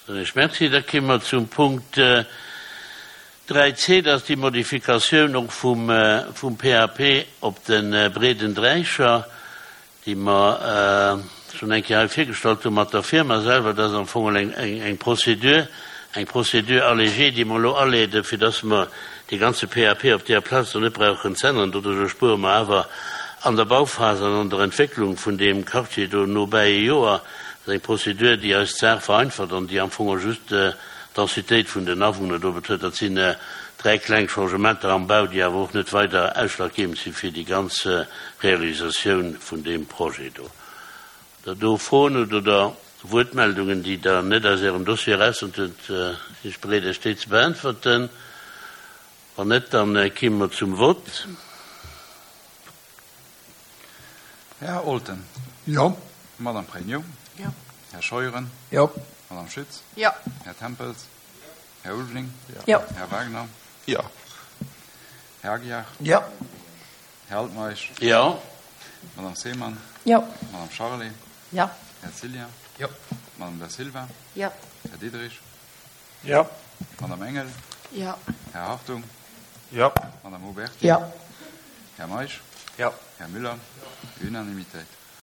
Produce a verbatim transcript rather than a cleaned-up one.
Ech merci. Da komme mer zum Punkt dräi C, dat ass déi Modifikatioun och vum, vum P A P op de Breeden Dräicher, déi mer schonn eng Kéier hei virgestallt hu mat der Firma selwer. Dat ass am Fong eng, eng, eng Procédure, eng Procédure allégée, déi mer elo aleeden, fir dass mer dee ganze P A P op där Plaz do net brauchen ze änneren. Doduerch spuere mer awer an der Bauphase an an der Entwécklung vun deem Quartier do nobäi e Joer. Dat ass eng Procédure, déi eis d'Saach vereinfacht an déi am Fong och just d'Densitéit vun den Awunner do betrëfft. Dat sinn dräi kleng Changementer am Bau, déi awer och net weider ausschlaggebend si fir déi ganz Realisatioun vun deem Projet do. Der do Froen hutt oder Wuertmeldungen, déi Der net aus Ärem Dossier eraus hutt, sinn ech bereet, Iech déi ze beäntwerten. Wann net, dann komme mer zum Vott. Här Olten. Jo. Madame Pregno. Jo. Här Scheuren. Jo. Madame Schütz. Jo. Här Tempels. Här Ulveling. Jo. Här Wagner. Jo. Här Aguiar. Jo. Här Altmeisch. Jo. Madame Seemann. Jo. Madame Charlé. Jo. Här Cillien. Jo. Madame Da Silva. Jo. Här Diderich. Jo. Madame Engel. Jo. Här Hartung. Jo. Madame Oberti. Jo. Här Meisch. Jo. Här Müller. Unanimitéit.